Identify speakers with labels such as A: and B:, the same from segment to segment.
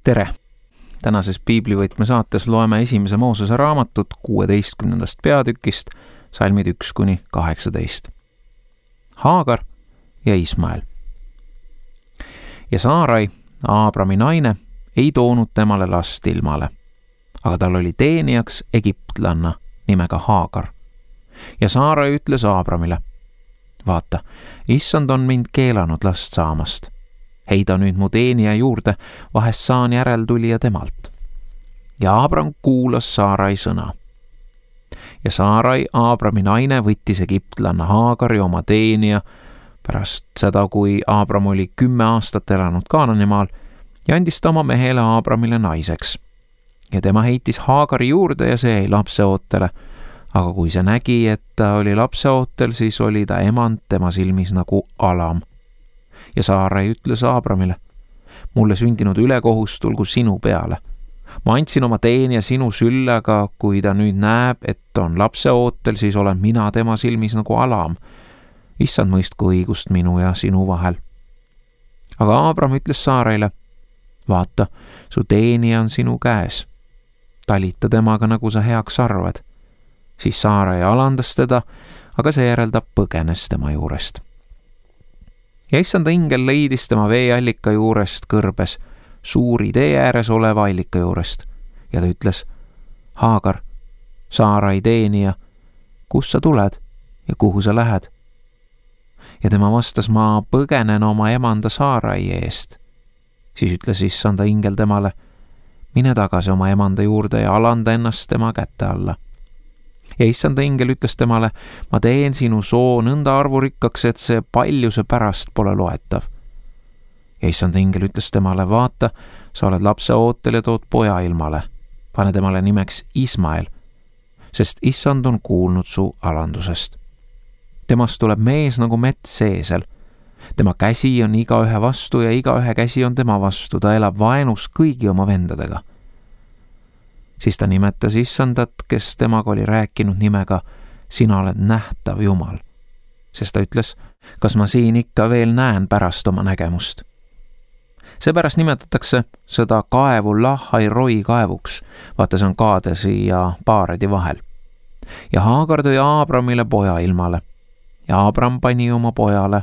A: Tere! Tänases Piiblivõtme saates loeme esimese Moosese raamatut 16. peatükist, salmid 1-18. Haagar ja Ismael. Ja Saarai, Aabrami naine, ei toonud temale last ilmale, aga tal oli teenijaks egiptlanna nimega Haagar. Ja Saarai ütles Aabramile: vaata, issand on mind keelanud last saamast. Heida nüüd mu teenija juurde, vahest saan järeltulija temalt. Ja Aabram kuulas Saarai sõna. Ja Saarai, Aabrami naine, võttis egiptlanna Haagari oma teenija pärast seda, kui Aabram oli 10 aastat elanud Kaananimaal, ja andis ta oma mehele Aabramile naiseks. Ja tema heitis Haagari juurde ja see jäi lapseootele, aga kui see nägi, et ta oli lapseootel, siis oli ta emand tema silmis nagu alam. Ja Saarai ütles Aabramile: mulle sündinud ülekohus tulgu sinu peale. Ma andsin oma teenija sinu sülle, aga kui ta nüüd näeb, et on lapseootel, siis olen mina tema silmis nagu alam. Issand mõistku õigust minu ja sinu vahel. Aga Aabram ütles Saaraile: vaata, su teenija on sinu käes. Talita temaga, nagu sa heaks arvad. Siis Saarai alandas teda, aga seejärel ta põgenes tema juurest. Ja issanda ingel leidis tema veeallika juurest kõrbes, suuri tee ääres oleva allika juurest, ja ta ütles: Haagar, Saarai teenija, kus sa tuled ja kuhu sa lähed? Ja tema vastas: ma põgenen oma emanda Saarai eest. Siis ütles issanda ingel temale: mine tagasi oma emanda juurde ja alanda ennast tema kätte alla. Ja issanda ingel ütles temale: ma teen sinu soo nõnda arvurikkaks, et see paljuse pärast pole loetav. Ja issanda ingel ütles temale: vaata, sa oled lapseootel ja tood poja ilmale. Pane temale nimeks Ismael, sest issand on kuulnud su alandusest. Temast tuleb mees nagu mets seesel. Tema käsi on igaühe vastu ja igaühe käsi on tema vastu. Ta elab vaenus kõigi oma vendadega. Siis ta nimetas issandat, kes temaga oli rääkinud nimega: sina oled nähtav Jumal. Sest ta ütles: kas ma siin ikka veel näen pärast oma nägemust? Seepärast nimetatakse seda kaevu Lahai-Roi kaevuks. Vaata, see on Kaadesi ja Paaredi vahel. Ja Haagar tõi Aabramile poja ilmale. Ja Aabram pani oma pojale,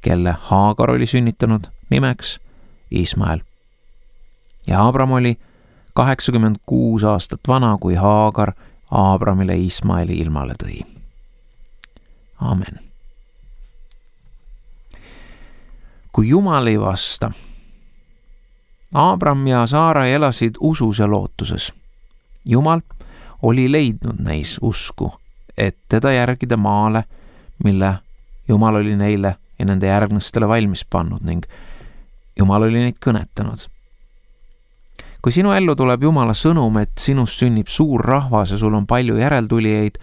A: kelle Haagar oli sünnitanud, nimeks Ismael. Ja Aabram oli 86 aastat vana, kui Haagar Aabramile Ismaeli ilmale tõi. Amen. Kui Jumal ei vasta. Aabram ja Saarai elasid usus ja lootuses. Jumal oli leidnud neis usku, et teda järgida maale, mille Jumal oli neile ja nende järgnastele valmis pannud, ning Jumal oli neid kõnetanud. Kui sinu ellu tuleb Jumala sõnum, et sinust sünnib suur rahvas ja sul on palju järeltulijaid,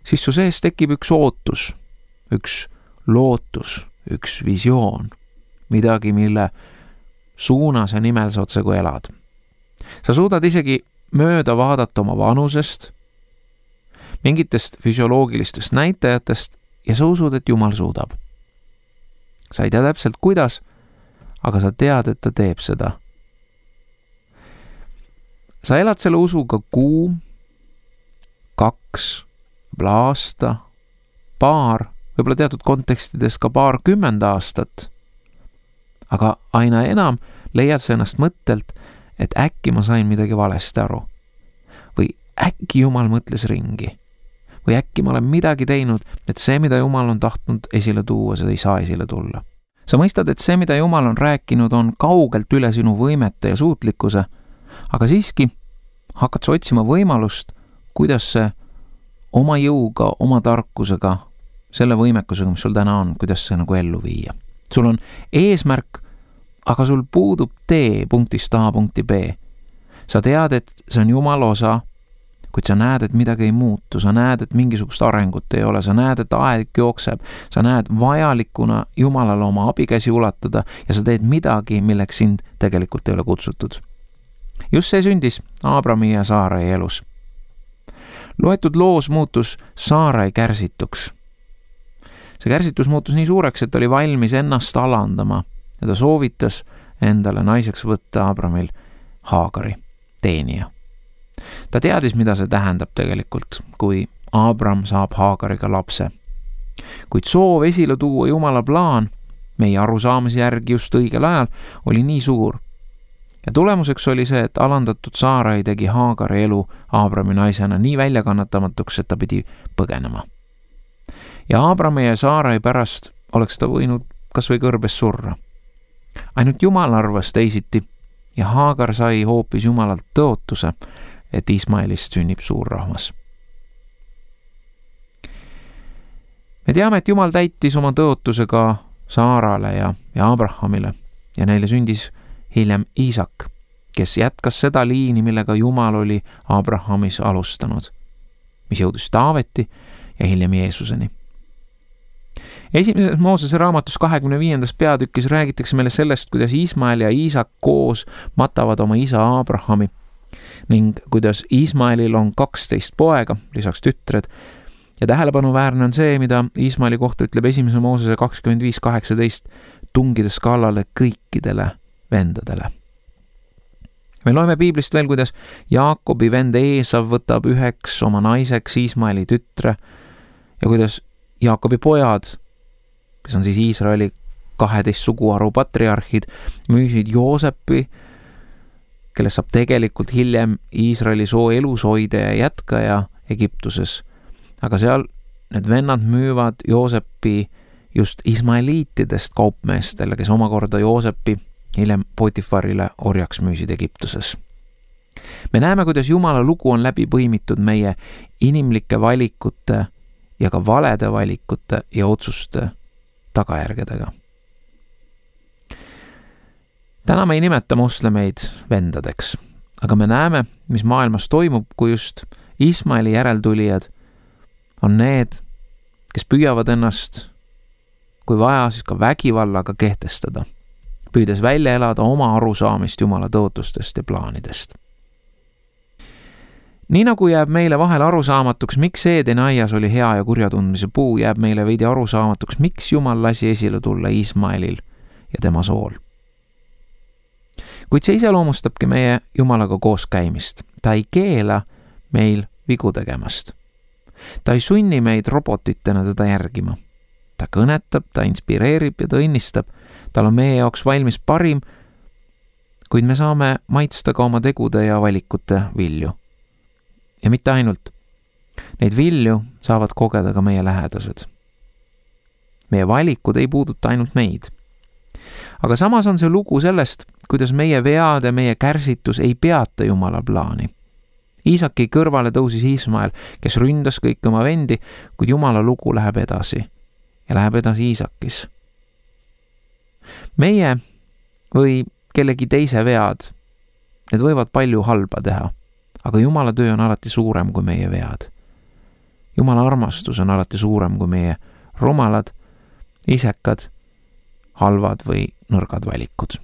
A: siis su sees tekib üks ootus, üks lootus, üks visioon, midagi, mille suunas ja nimel sa otsekui elad. Sa suudad isegi mööda vaadata oma vanusest, mingitest füsioloogilistest näitajatest ja sa usud, et Jumal suudab. Sa ei tea täpselt kuidas, aga sa tead, et ta teeb seda. Sa elad selle usuga kuu, 2, aasta, paar, võib-olla teatud kontekstides ka 20 aastat. Aga aina enam leiad sa ennast mõttelt, et äkki ma sain midagi valesti aru. Või äkki Jumal mõtles ringi. Või äkki ma olen midagi teinud, et see, mida Jumal on tahtnud esile tuua, seda ei saa esile tulla. Sa mõistad, et see, mida Jumal on rääkinud, on kaugelt üle sinu võimete ja suutlikkuse, aga siiski hakkad sa otsima võimalust, kuidas see oma jõuga, oma tarkusega, selle võimekusega, mis sul täna on, kuidas see nagu ellu viia. Sul on eesmärk, aga sul puudub tee punktist A punkti B. Sa tead, et see on Jumala osa, kuid sa näed, et midagi ei muutu, sa näed, et mingisugust arengut ei ole, sa näed, et aeg jookseb, sa näed vajalikuna Jumalale oma abikäsi ulatada ja sa teed midagi, milleks sind tegelikult ei ole kutsutud. Just see sündis Aabrami ja Saarai elus. Loetud loos muutus Saarai kärsituks. See kärsitus muutus nii suureks, et oli valmis ennast alandama ja ta soovitas endale naiseks võtta Abramil Haagari, teenija. Ta teadis, mida see tähendab tegelikult, kui Abram saab Haagariga lapse. Kuid soov esile tuua Jumala plaan meie arusaamise järgi just õigel ajal oli nii suur. Ja tulemuseks oli see, et alandatud Saarai tegi Haagari elu Abrami naisena nii väljakannatamatuks, et ta pidi põgenema. Ja Abrami ja Saarai pärast oleks ta võinud kas või kõrbes surra. Ainult Jumal arvas teisiti ja Haagar sai hoopis Jumalalt tõotuse, et Ismaelist sünnib suur rahvas. Me teame, et Jumal täitis oma tõotuse ka Saarale ja Abrahamile ja neile sündis hiljem Iisak, kes jätkas seda liini, millega Jumal oli Abrahamis alustanud, mis jõudis Taaveti ja hiljem Jeesuseni. Esimeses Moosese raamatus 25. peatükis räägitakse meile sellest, kuidas Ismael ja Iisak koos matavad oma isa Abrahami ning kuidas Ismaelil on 12 poega, lisaks tütred. Ja tähelepanuväärne on see, mida Ismaeli kohta ütleb esimese Moosese 25:18, tungides kallale kõikidele vendadele. Me loeme piiblist veel, kuidas Jaakobi vend Eesav võtab üheks oma naiseks Ismaeli tütre ja kuidas Jaakobi pojad, kes on siis Iisraeli 12 suguharu patriarhid, müüsid Joosepi, kellest saab tegelikult hiljem Iisraeli soo elushoide ja jätkaja Egiptuses. Aga seal need vennad müüvad Joosepi just ismaeliitidest kaupmeestele, kes omakorda Joosepi hiljem Potifarile orjaks müüsid Egiptuses. Me näeme, kuidas Jumala lugu on läbi põimitud meie inimlike valikute ja ka valede valikute ja otsuste tagajärgedega. Täna me ei nimeta moslemeid vendadeks, aga me näeme, mis maailmas toimub, kui just Ismaeli järeltulijad on need, kes püüavad ennast, kui vaja, siis ka vägivallaga kehtestada, püüdes välja elada oma arusaamist Jumala tõotustest ja plaanidest. Nii nagu jääb meile vahel arusaamatuks, miks Eedeni aias oli hea ja kurja tundmise puu, jääb meile veidi arusaamatuks, miks Jumal lasi esile tulla Ismaelil ja tema sool. Kuid see iseloomustabki meie Jumalaga koos käimist. Ta ei keela meil vigu tegemast. Ta ei sunni meid robotitena teda järgima. Ta kõnetab, ta inspireerib ja ta õnnistab. Tal on meie jaoks valmis parim, kuid me saame maitsta ka oma tegude ja valikute vilju. Ja mitte ainult. Neid vilju saavad kogeda ka meie lähedased. Meie valikud ei puuduta ainult meid. Aga samas on see lugu sellest, kuidas meie vead ja meie kärsitus ei peata Jumala plaani. Iisaki kõrvale tõusis Ismael, kes ründas kõik oma vendi, kuid Jumala lugu läheb edasi ja läheb edasi Iisakis. Meie või kellegi teise vead, need võivad palju halba teha, aga Jumala töö on alati suurem kui meie vead. Jumala armastus on alati suurem kui meie rumalad, isekad, halvad või nõrgad valikud.